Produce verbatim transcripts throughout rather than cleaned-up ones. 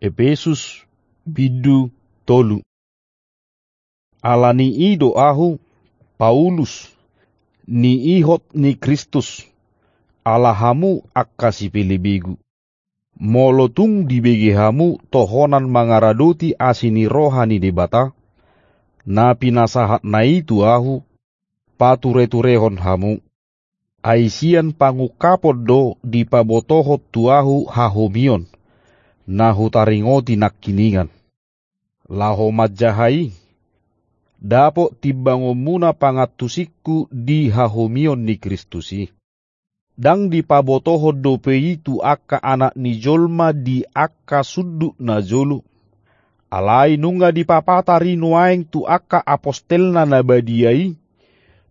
Epesus, bindu tolu. Ala ni i do ahu, Paulus, niihot ni Kristus, ala hamu angka sipelebegu. Molo tung dibege hamu tohonan mangaradoti asi ni roha ni Debata, na pinasahatna i tu ahu, patureturehon hamu. Ai sian pangungkapon do dipabotohon tu ahu hahomion, na hutaringoti nangkiningan. Laho manjaha i, dapot timbangonmuna pangantusingku di hahomion ni Kristus i. Ndang dipabotohon dope i tu angka anak ni jolma di angka sundut na jolo. Alai nunga dipapatar i nuaeng tu angka apostelna na badia i,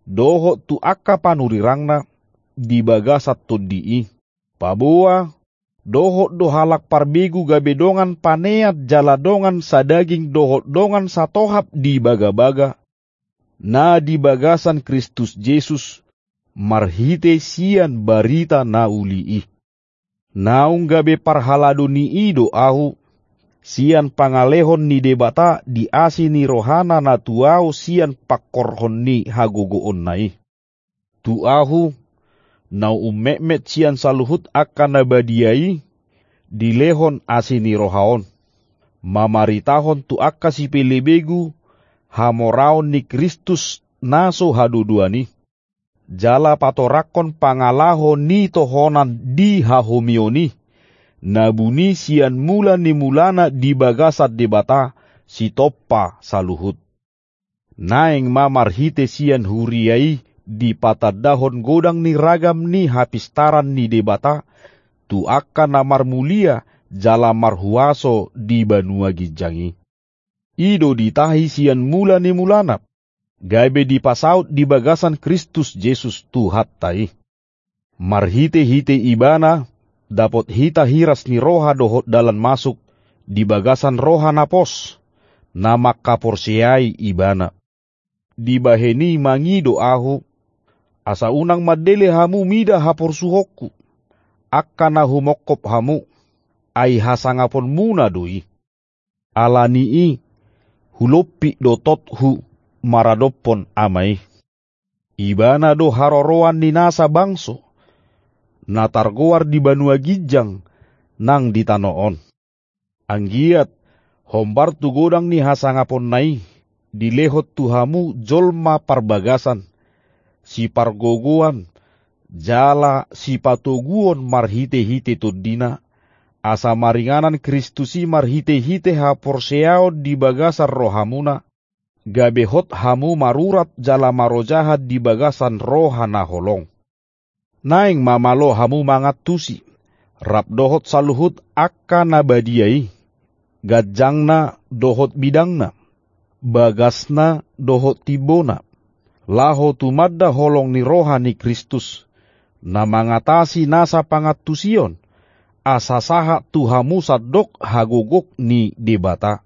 dohot tu angka panurirangna di bagasan tondi i. Paboa, dohot do halak parbegu gabe dongan panean jala dongan sadaging dohot dongan satohap di bagabaga, na di bagasan Kristus Jesus, marhite sian barita na uli i. Naung gabe parhalado ni i do ahu, sian pangalehon ni Debata di asi ni rohana na tu ahu sian pangkorhon ni hagogoonna i. Tu ahu, na ummetmet sian saluhut angka na badia i, dilehon asi ni roha on, mamaritahon tu angka sipelebegu hamoraon ni Kristus na so hadodoan i, jala patorangkon pangalaho ni tohonan di hahomion i, na buni sian mula ni mulana di bagasan Debata, sitompa saluhut. Naeng ma marhite sian huria i dipatandahon godang ni ragam ni hapistaran ni Debata, tu angka na marmulia jala marhuaso di banua ginjang i. I do ditahi sian mula ni mulana, gabe dipasaut di bagasan Kristus Jesus Tuhanta i. Marhitehite Ibana, dapot hita hiras ni roha dohot dalan masuk, di bagasan roha na pos, na mangkaporseai Ibana. Dibahen i mangido ahu, asa unang mandele hamu mida haporsuhonku, angka na humongkop hamu, ai hasangaponmuna do i. Ala ni i, hulompit do tothu maradophon Ama i. Ibana do haroroan ni nasa bangso, na targoar di banua ginjang nang di tano on. Anggiat, hombar tu godang ni hasangaponna i, dilehon tu hamu jolma parbagasan, sipargogoan, jala sipatoguon marhitehite tondina, asa maringanan Kristus i marhitehite haporseaon di bagasan rohamuna, gabe hot hamu marurat jala marojahan di bagasan roha na holong. Naeng ma malo hamu mangantusi, rap dohot saluhut angka na badia i, ganjangna dohot bidangna, bagasna dohot timbona, laho tumanda holong ni roha ni Kristus, na mangatasi nasa pangantusion, asa sahat tu hamu sandok hagogok ni Debata.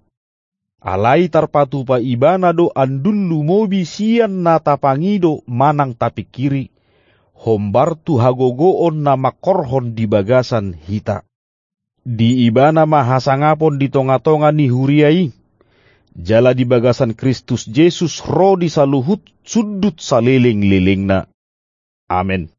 Alai tarpatupa Ibana do andul lumobi sian na tapangido manang tapingkiri, hombar tu hagogoon na mangkorhon di bagasan hita. Di Ibana ma hasangapon di tongatonga ni huria i, jala di bagasan Kristus Jesus ro di saluhut sundut salelenglelengna. Amen.